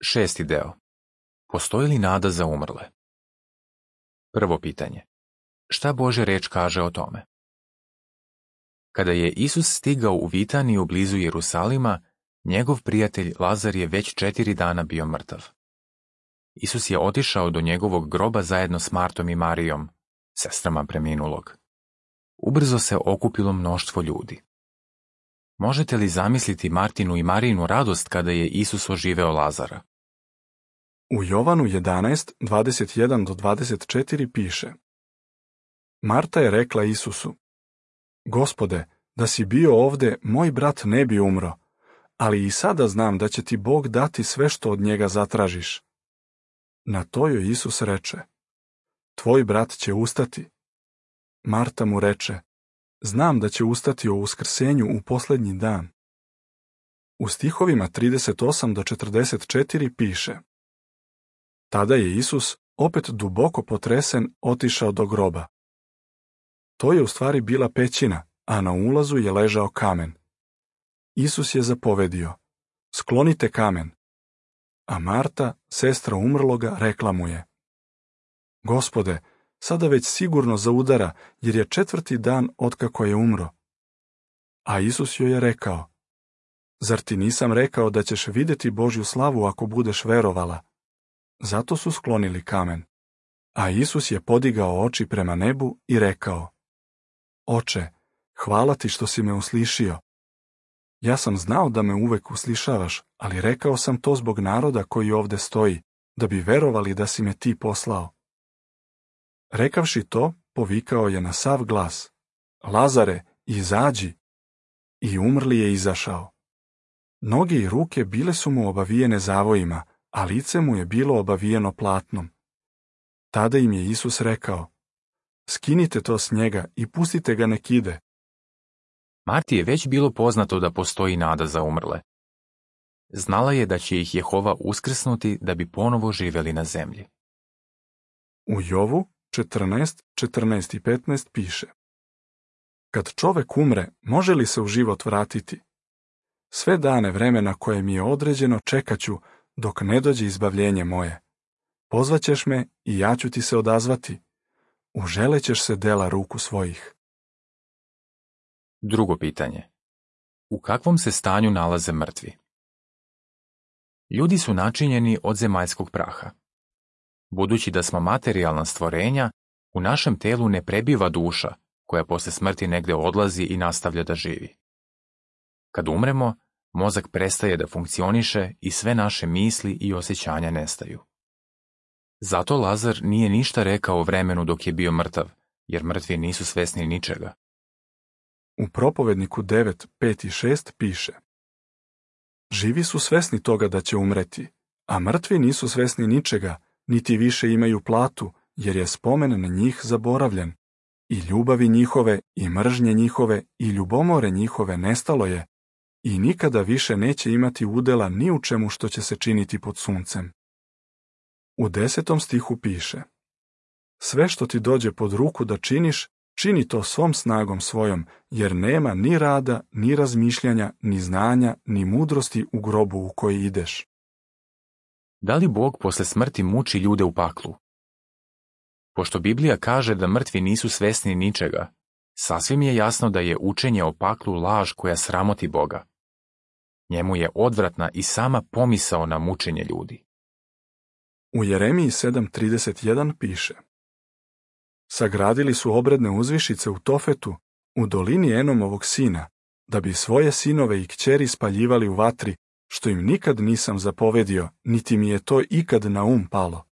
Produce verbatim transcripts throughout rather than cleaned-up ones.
Šesti deo. Postoji li nada za umrle? Prvo pitanje. Šta Božja reč kaže o tome? Kada je Isus stigao u Vitaniju blizu Jerusalima, njegov prijatelj Lazar je već četiri dana bio mrtav. Isus je otišao do njegovog groba zajedno s Martom i Marijom, sestrama preminulog. Ubrzo se okupilo mnoštvo ljudi. Možete li zamisliti Martinu i Marijinu radost kada je Isus oživeo Lazara? U Jovanu jedanaest, dvadeset jedan do dvadeset četiri piše: Marta je rekla Isusu: Gospode, da si bio ovde, moj brat ne bi umro, ali i sada znam da će ti Bog dati sve što od njega zatražiš. Na to joj Isus reče: Tvoj brat će ustati. Marta mu reče: Znam da će ustati o uskrsenju u posljednji dan. U stihovima trideset osam do četrdeset četiri piše: Tada je Isus, opet duboko potresen, otišao do groba. To je u stvari bila pećina, a na ulazu je ležao kamen. Isus je zapovedio: Sklonite kamen. A Marta, sestra umrloga, rekla mu je: Gospode, sada već sigurno zaudara, jer je četvrti dan otkako je umro. A Isus joj je rekao: Zar ti nisam rekao da ćeš vidjeti Božju slavu ako budeš verovala? Zato su sklonili kamen. A Isus je podigao oči prema nebu i rekao: Oče, hvala ti što si me uslišio. Ja sam znao da me uvek uslišavaš, ali rekao sam to zbog naroda koji ovde stoji, da bi verovali da si me ti poslao. Rekavši to, povikao je na sav glas: Lazare, izađi! I umrli je izašao. Noge i ruke bile su mu obavijene zavojima, a lice mu je bilo obavijeno platnom. Tada im je Isus rekao: Skinite to s njega i pustite ga nek ide. Marti je već bilo poznato da postoji nada za umrle. Znala je da će ih Jehova uskrsnuti da bi ponovo živjeli na zemlji. U Jovu četrnaest, četrnaest i petnaest piše: Kad čovek umre, može li se u život vratiti? Sve dane vremena koje mi je određeno čekaću dok ne dođe izbavljenje moje. Pozvaćeš me i ja ću ti se odazvati. Uželećeš se dela ruku svojih. Drugo pitanje. U kakvom se stanju nalaze mrtvi? Ljudi su načinjeni od zemaljskog praha. Budući da smo materijalna stvorenja, u našem telu ne prebiva duša, koja posle smrti negde odlazi i nastavlja da živi. Kad umremo, mozak prestaje da funkcioniše i sve naše misli i osjećanja nestaju. Zato Lazar nije ništa rekao o vremenu dok je bio mrtav, jer mrtvi nisu svesni ničega. U Propovedniku devet, pet i šest piše: Živi su svesni toga da će umreti, a mrtvi nisu svesni ničega, niti više imaju platu, jer je spomen na njih zaboravljen. I ljubavi njihove, i mržnje njihove, i ljubomore njihove nestalo je, i nikada više neće imati udela ni u čemu što će se činiti pod suncem. U desetom stihu piše: Sve što ti dođe pod ruku da činiš, čini to svom snagom svojom, jer nema ni rada, ni razmišljanja, ni znanja, ni mudrosti u grobu u koji ideš. Da li Bog posle smrti muči ljude u paklu? Pošto Biblija kaže da mrtvi nisu svesni ničega, sasvim je jasno da je učenje o paklu laž koja sramoti Boga. Njemu je odvratna i sama pomisao na mučenje ljudi. U Jeremiji sedam trideset jedan piše: Sagradili su obredne uzvišice u Tofetu, u dolini Enomovog sina, da bi svoje sinove i kćeri spaljivali u vatri, što im nikad nisam zapovedio, niti mi je to ikad na um palo.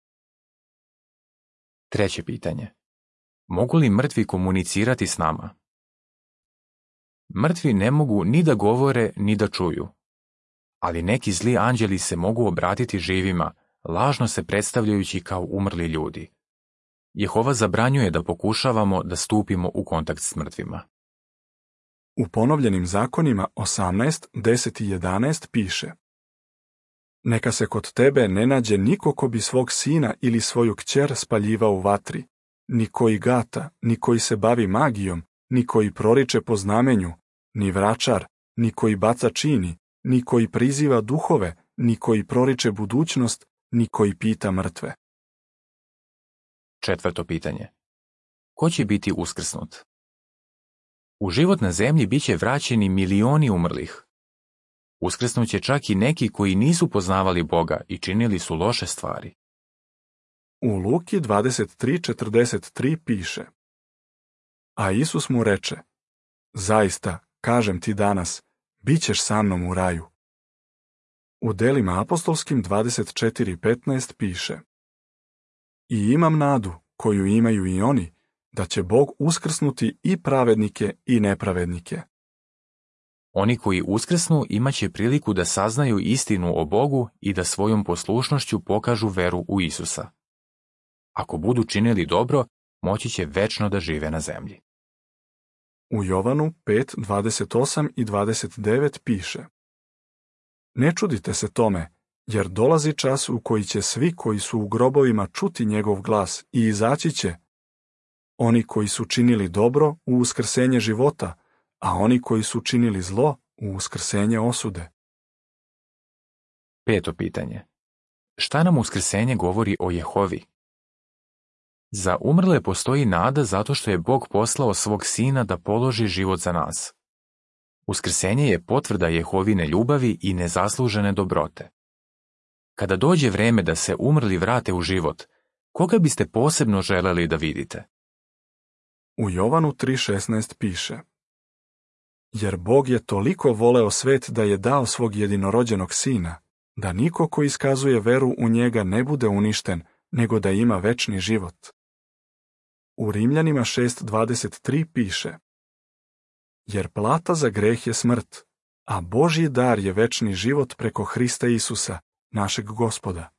Treće pitanje. Mogu li mrtvi komunicirati s nama? Mrtvi ne mogu ni da govore, ni da čuju. Ali neki zli anđeli se mogu obratiti živima, lažno se predstavljajući kao umrli ljudi. Jehova zabranjuje da pokušavamo da stupimo u kontakt s mrtvima. U ponovljenim zakonima osamnaest, deset i jedanaest piše: Neka se kod tebe ne nađe niko ko bi svog sina ili svoju kćer spaljivao u vatri, ni koji gata, ni koji se bavi magijom, ni koji proriče po znamenju, ni vračar, ni koji baca čini, ni koji priziva duhove, ni koji proriče budućnost, ni koji pita mrtve. Četvrto pitanje. Ko će biti uskrsnut? U život na zemlji bit će vraćeni milioni umrlih. Uskrsnut će čak i neki koji nisu poznavali Boga i činili su loše stvari. U Luki dvadeset tri četrdeset tri piše: A Isus mu reče: Zaista, kažem ti danas, bit ćeš sa mnom u raju. U Delima apostolskim dvadeset četiri petnaest piše: I imam nadu, koju imaju i oni, da će Bog uskrsnuti i pravednike i nepravednike. Oni koji uskrsnu imat će priliku da saznaju istinu o Bogu i da svojom poslušnošću pokažu veru u Isusa. Ako budu činili dobro, moći će večno da žive na zemlji. U Jovanu pet dvadeset osam i dvadeset devet piše: Ne čudite se tome, jer dolazi čas u koji će svi koji su u grobovima čuti njegov glas i izaći će, oni koji su činili dobro u uskrsenje života, a oni koji su činili zlo u uskrsenje osude. Peto pitanje. Šta nam uskrsenje govori o Jehovi? Za umrle postoji nada zato što je Bog poslao svog sina da položi život za nas. Uskrsenje je potvrda Jehovine ljubavi i nezaslužene dobrote. Kada dođe vreme da se umrli vrate u život, koga biste posebno želeli da vidite? U Jovanu tri šesnaest piše: Jer Bog je toliko voleo svet da je dao svog jedinorođenog sina, da niko ko iskazuje veru u njega ne bude uništen, nego da ima večni život. U Rimljanima šest dvadeset tri piše: Jer plata za greh je smrt, a Božji dar je večni život preko Hrista Isusa, našeg Gospoda.